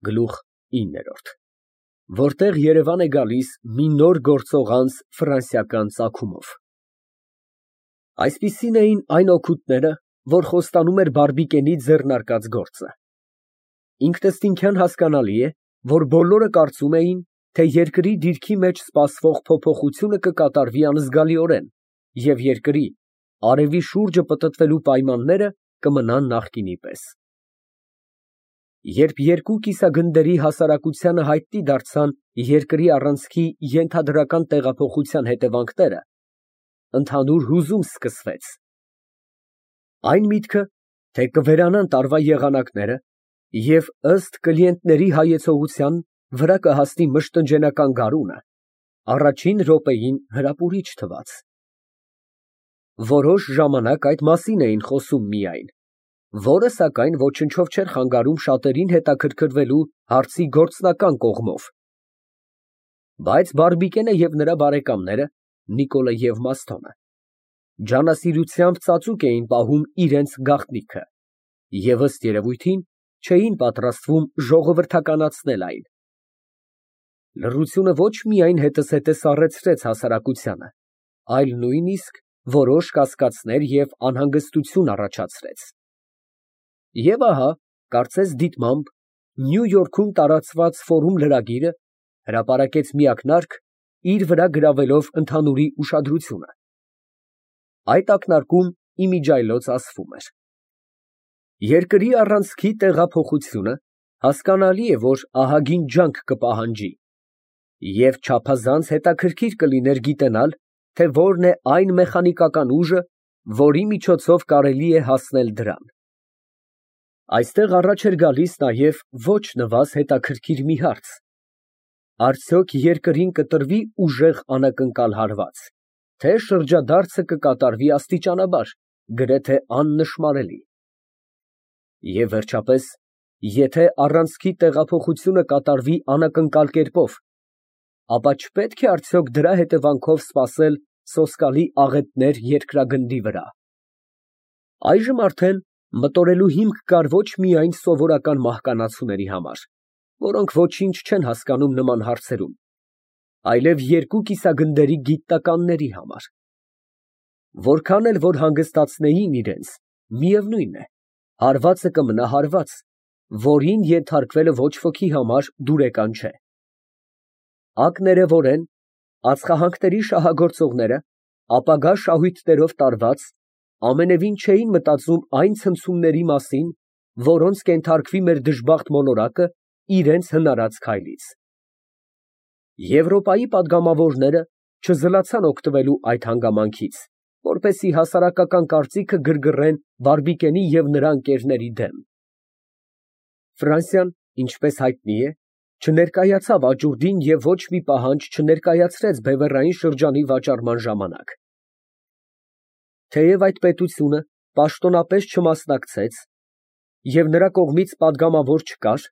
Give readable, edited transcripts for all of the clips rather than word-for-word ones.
Գլուխ 9, որտեղ երևան է գալիս մի նոր գործող անձ ֆրանսիական ծագումով։ Այսպիսին էին այն օգուտները, որ խոստանում էր Բարբիկենի ձեռնարկած գործը։ Ինքնըստինքյան հասկանալի է, որ բոլորը կարծում էին, թե երկրի դիրքի մեջ սպասվող փոփոխությունը կկատարվի անզգալիորեն, և երկրի արևի շուրջը պտտվելու պայմանները կմնան նախկինի պես։ Երբ երկու կիսագնդերի հասարակությանը հայտնի դարձան երկրի առանցքի ենթադրական տեղափոխության հետևանքները, ընդհանուր հուզում սկսվեց։ Այն միտքը, թե կվերանան տարվա եղանակները և ըստ կլիենտների հայեցողության վրա կհասնի մշտնջենական գարունը, առաջին րոպեին հրապուրիչ թվաց։ Որոշ ժամանակ այդ մասին էին խոսում միայն, որը, սակայն, ոչնչով չէր խանգարում շատերին հետաքրքրվելու հարցի գործնական կողմով։ Բայց Բարբիկենը և նրա բարեկամները, Նիկոլը և Մասթոմը, ջանասիրությամբ ծածուկ էին պահում իրենց գաղտնիքը և, ըստ երևույթին, չէին պատրաստվում ժողովրդականացնել այն։ Լռությունը ոչ միայն հետզհետե սառեցրեց հասարակությանը, այլ նույնիսկ որոշ կասկածներ և անհանգստություն առաջացրեց։ Եվ ահա, կարծես դիտմամբ, Նյու Յորքում տարածված ֆորում լրագիրը հրապարակեց մի ակնարկ, իր վրա գրավելով ընդհանուրի ուշադրությունը։ Այդ ակնարկում իմիջիայլոց ասվում էր. Երկրի առանցքի տեղափոխությունը հասկանալի է, որ ահագին ջանք կպահանջի, և չափազանց հետաքրքիր կլիներ գիտենալ, թե որն է այն մեխանիկական ուժը, որի միջոցով կարելի է հասնել դրան։ Այստեղ առաջ էր գալիս նաև ոչ նվազ հետաքրքիր մի հարց. արդյոք երկրին կտրվի ուժեղ անակնկալ հարված, թե շրջադարձը կկատարվի աստիճանաբար, գրեթե աննշմարելի։ Եվ վերջապես, եթե առանցքի տեղափոխությունը կատարվի անակնկալ կերպով, ապա չպետք է արդյոք դրա հետևանքով սպասել սոսկալի աղետներ երկրագնդի վրա։ Այժմ արդեն մտորելու հիմք կար ոչ միայն սովորական մահկանացուների համար, որոնք ոչինչ չեն հասկանում նման հարցերում, այլև երկու կիսագնդերի գիտնականների համար։ Որքան էլ որ հանգստացնեին իրենց, միևնույն է, հարվածը կմնա հարված, որին ենթարկվելը ոչ ոքի համար դուրեկան չէ։ Ակներևորեն ածխահանքների շահագործողները, ապագա շահույթներով տարված, ամենևին չէին մտածում այն ցնցումների մասին, որոնց կենթարկվի մեր դժբախտ մոլորակը իրենց հնարած քայլից։ Եվրոպայի պատգամավորները չզլացան օգտվելու այդ հանգամանքից, որպեսզի հասարակական կարծիքը գրգռեն Բարբիկենի և նրա ընկերների դեմ։ Ֆրանսիան, ինչպես հայտնի է, չներկայացավ աճուրդին և ոչ մի պահանջ չներկայացրեց բևեռային շրջանի վաճառման ժամանակ։ Թեև այդ պետությունը պաշտոնապես չմասնակցեց և նրա կողմից պատգամավոր չկար,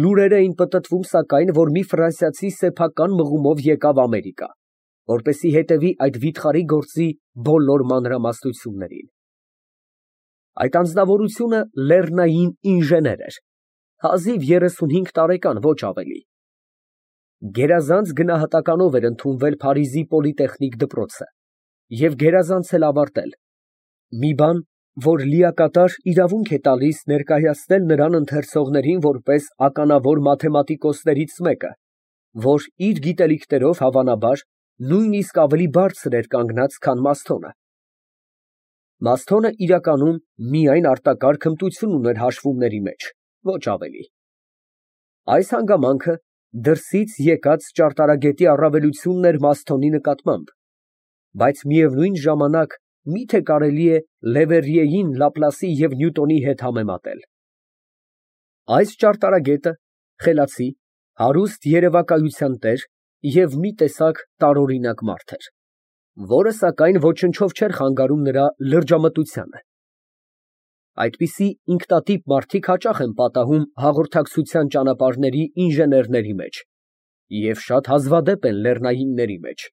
լուրեր էին պտտվում, սակայն, որ մի ֆրանսիացի սեփական մղումով եկավ Ամերիկա, որպեսզի հետևի այդ վիթխարի գործի բոլոր մանրամասնություններին։ Այդ անձնավորությունը լեռնային ինժեներ էր, հազիվ 35 տարեկան, ոչ ավելի։ Գերազանց գնահատականով էր ընդունվել Փարիզի պոլիտեխնիկ դպրոցը և գերազանց էլ ավարտել, մի բան, որ լիակատար իրավունք է տալիս ներկայացնել նրան ընթերցողներին որպես ականավոր մաթեմատիկոսներից մեկը, որ իր գիտելիքներով, հավանաբար, նույնիսկ ավելի բարձր էր կանգնած, քան Մասթոնը։ Մասթոնը իրականում միայն արտակարգ հմտություն ուներ հաշվումների մեջ, ոչ ավելի։ Այս հանգամանքը դրսից եկած ճարտարագետի առավելությունն էր Մասթոնի նկատմամբ, բայց միևնույն ժամանակ մի՞թե կարելի է Լևերրիեին Լապլասի և Նյուտոնի հետ համեմատել։ Այս ճարտարագետը խելացի, հարուստ երևակայության տեր և մի տեսակ տարօրինակ մարդ էր, որը, սակայն, ոչնչով չէր խանգարում նրա լրջամտությանը։ Այդպիսի ինքնատիպ մարդիկ հաճախ են պատահում հաղորդակցության ճանապարհների ինժեներների մեջ և շատ հազվադեպ են լեռնայինների մեջ։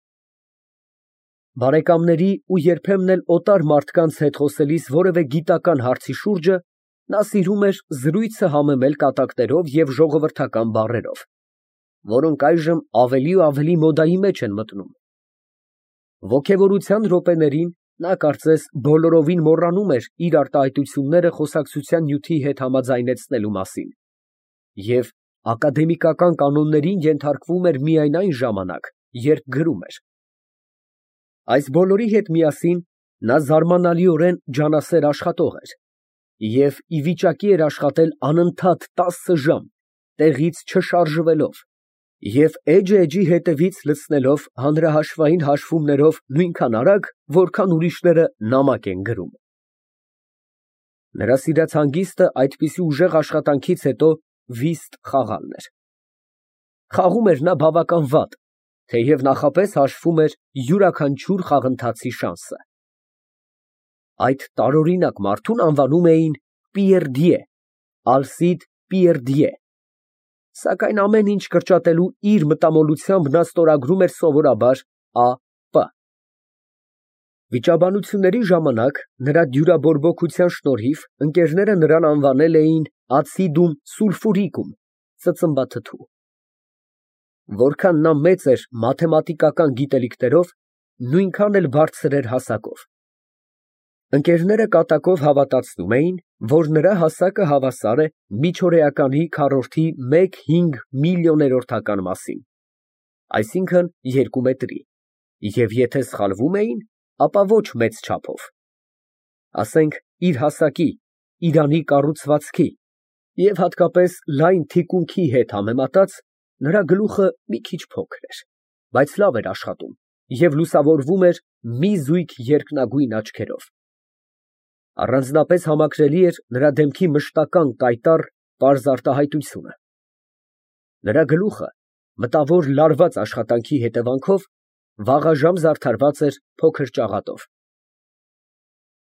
Բարեկամների ու երբեմն էլ օտար մարդկանց հետ խոսելիս որևէ գիտական հարցի շուրջը Նա սիրում էր զրույցը համեմել կատակներով և ժողովրդական բառերով, որոնք այժմ ավելի ու ավելի մոդայի մեջ են մտնում։ Ոգևորության րոպեներին նա կարծես բոլորովին մոռանում էր իր արտահայտությունները խոսակցության նյութի հետ համաձայնեցնելու մասին և ակադեմիկական կանոններին ենթարկվում էր միայն այն ժամանակ, երբ գրում էր։ Այս բոլորի հետ միասին նա զարմանալիորեն ջանասեր աշխատող էր և ի վիճակի էր աշխատել անընդհատ 10 ժամ, տեղից չշարժվելով և էջը հետևից լցնելով հանրահաշվային հաշվումներով նույնքան արագ, որքան ուրիշները նամակ են գրում։ Նրա սիրած հանգիստը այդպիսի ուժեղ աշխատանքից հետո վիստ խաղալն էր։ Խաղում էր նա բավական վատ, թեև նախապես հաշվում էր յուրաքանչյուր խաղընթացի շանսը։ Այդ տարօրինակ մարդուն անվանում էին Պիերդիե, Ալսիդ Պիերդիե, սակայն ամեն ինչ կրճատելու իր մտամոլությամբ նա ստորագրում էր սովորաբար Ա.Պ. Վիճաբանությունների ժամանակ նրա դյուրաբորբոքության շնորհիվ ընկերները նրան անվանել էին acidum sulfuricum ծծմբաթթու։ Որքան նա մեծ էր մաթեմատիկական գիտելիքներով, նույնքան էլ բարձր էր հասակով։ Ընկերները կատակով հավատացնում էին, որ նրա հասակը հավասար է միջօրեականի քառորդի 1/5 միլիոներորդական մասին, այսինքն 2 մետրի, և եթե սխալվում էին, ապա ոչ մեծ չափով, ասենք իր հասակի, իրանի կառուցվածքի և հատկապես լայն թիկունքի հետ համեմատած, նրա գլուխը մի քիչ փոքր էր, բայց լավ էր աշխատում և լուսավորվում էր մի զույգ երկնագույն աչքերով։ Առանձնապես համակրելի էր նրա դեմքի մշտական կայտառ, պարզ արտահայտությունը։ Նրա գլուխը, մտավոր լարված աշխատանքի հետևանքով, վաղաժամ զարդարված էր փոքր ճաղատով։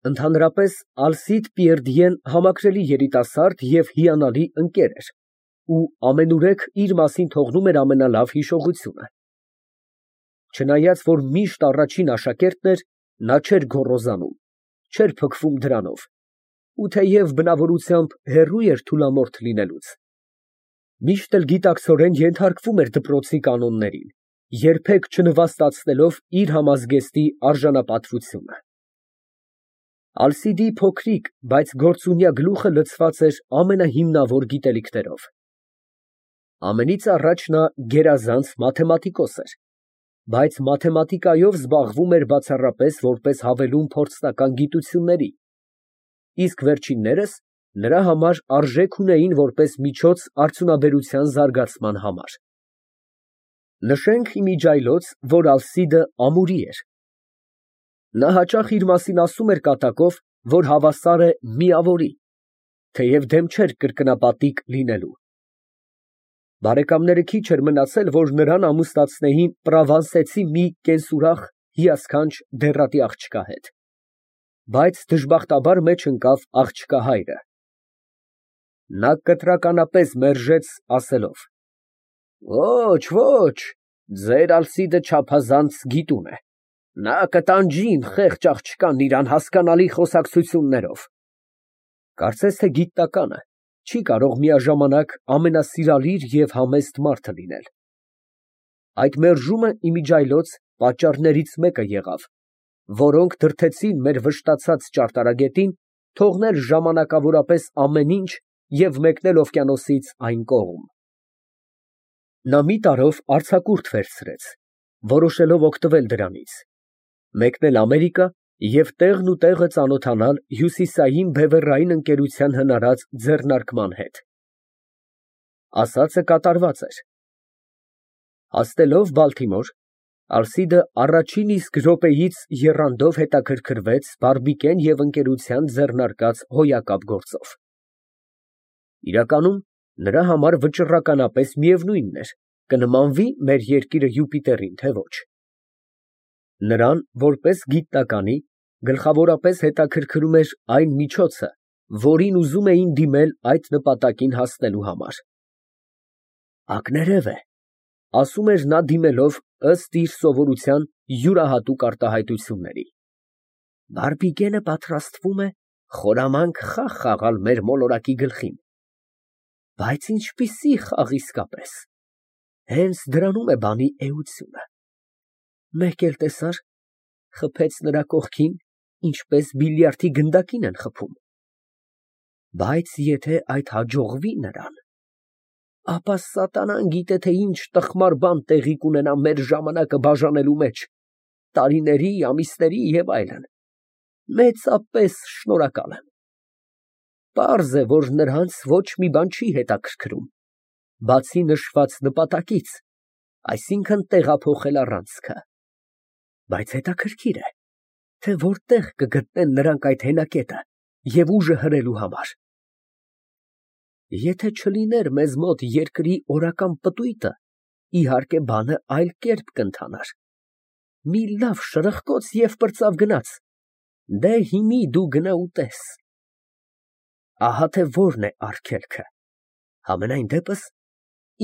Ընդհանրապես Ալսիդ Պիերդիեն համակրելի երիտասարդ և հիանալի ընկեր էր ու ամենուրեք իր մասին թողնում էր ամենալավ հիշողությունը։ Չնայած որ միշտ առաջին աշակերտն էր, նա չէր գոռոզանում, չէր փքվում դրանով ու թեև բնավորությամբ հեռու էր թուլամորթ լինելուց, միշտ էլ գիտակցորեն ենթարկվում էր դպրոցի կանոններին, երբեք չնվաստացնելով իր համազգեստի արժանապատվությունը։ Ալսիդի փոքրիկ, բայց գործունյա գլուխը լցված էր ամենահիմնավոր գիտելիքներով։ Ամենից առաջ նա գերազանց մաթեմատիկոս էր, բայց մաթեմատիկայով զբաղվում էր բացառապես որպես հավելում փորձնական գիտությունների, իսկ վերջիններս նրա համար արժեք ունեին որպես միջոց արդյունաբերության զարգացման համար։ Նշենք իմիջիայլոց, որ Ալսիդը ամուրի էր։ Նա հաճախ իր մասին ասում էր կատակով, որ հավասար է միավորի, թեև դեմ չէր կրկնապատիկ լինելու։ Բարեկամները քիչ էր մնացել, որ նրան ամուսնացնեին պրովանսեցի մի կենսուրախ, հիասքանչ դեռատի աղջկա հետ, բայց դժբախտաբար մեջ ընկավ աղջկա հայրը։ Նա կտրականապես մերժեց, ասելով. «Ոչ, ոչ, ձեր Ալսիդը չափազանց գիտուն է, նա կտանջի իմ խեղճ աղջկան իր անհասկանալի խոսակցություններով»։ Կարծես թե գիտնականը չի կարող միաժամանակ ամենասիրալիր և համեստ մարդը լինել։ Այդ մերժումը իմիջիայլոց պատճառներից մեկը եղավ, որոնք դրդեցին մեր վշտացած ճարտարագետին թողնել ժամանակավորապես ամեն ինչ և մեկնել օվկիանոսից այն կողմ։ Նա մի տարով արձակուրդ վերցրեց, որոշելով օգտվել դրանից, մեկնել Ամերիկա և տեղն ու տեղը ծանոթանալ հյուսիսային բևեռային ընկերության հնարած ձեռնարկման հետ։ Ասածը կատարված էր։ Հասնելով Բալթիմոր, Ալսիդը առաջին իսկ րոպեից եռանդով հետաքրքրվեց բարբիկեն և ընկերության ձեռնարկած հոյակապ գործով։ Իրականում նրա համար վճռականապես միևնույնն էր, կնմանվի մեր երկիրը Յուպիտերին, թե ոչ։ Նրան, որպես գիտնականի, գլխավորապես հետաքրքրում էր այն միջոցը, որին ուզում էին դիմել այդ նպատակին հասնելու համար։ «Ակներև է», ասում էր նա դիմելով ըստ իր սովորության յուրահատուկ արտահայտությունների։ «Բարբիկենը պատրաստվում է խորամանկ խաղ խաղալ մեր մոլորակի գլխին։ Բայց ինչպիսի խաղ իսկապես։ Հենց դրանում է բանի էությունը։ Մեկ էլ տեսար, խփեց նրա կողքին, ինչպես բիլիարդի գնդակին են խփում։ Բայց եթե այդ հաջողվի նրան, ապա սատանան գիտե թե ինչ տխմար բան տեղի կունենա մեր ժամանակը բաժանելու մեջ, տարիների, ամիսների և այլն, մեծապես շնորհակալ եմ։ Պարզ է, որ նրանց ոչ մի բան չի հետաքրքրում, բացի նշված նպատակից, այսինքն տեղափոխել առանցքը, բայց հետաքրքիր է, թե որտեղ կգտնեն նրանք այդ հենակետը և ուժը հրելու համար։ Եթե չլիներ մեզ մոտ երկրի օրական պտույտը, իհարկե բանը այլ կերպ կընթանար։ Մի լավ շրխկոց և պրծավ գնաց, դե հիմի դու գնա ու տես։ Ահա թե որն է արգելքը, համենայն դեպս,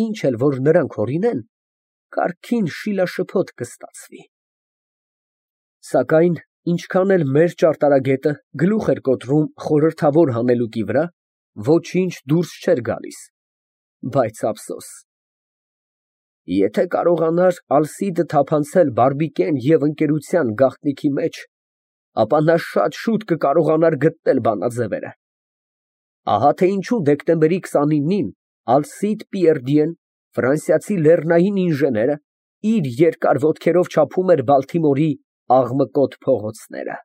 ինչ էլ որ նրանք հորինեն, կարգին շիլաշփոթ կստացվի։ Սակայն ինչքան էլ մեր ճարտարագետը գլուխ էր կոտրում խորհրդավոր հանելուկի վրա, ոչինչ դուրս չէր գալիս, բայց ափսոս։ Եթե կարողանար Ալսիդը թափանցել Բարբիկեն և ընկերության գաղտնիքի մեջ, ապա նա շատ շուտ կկարողանար գտնել բանաձևերը։ Ահա թե ինչու դեկտեմբերի 29-ին Ալսիդ Պիերդիեն, ֆրանսիացի լեռնային ինժեները, իր երկար ոտքերով չափում էր Բալթիմորի աղմկոտ փողոցները։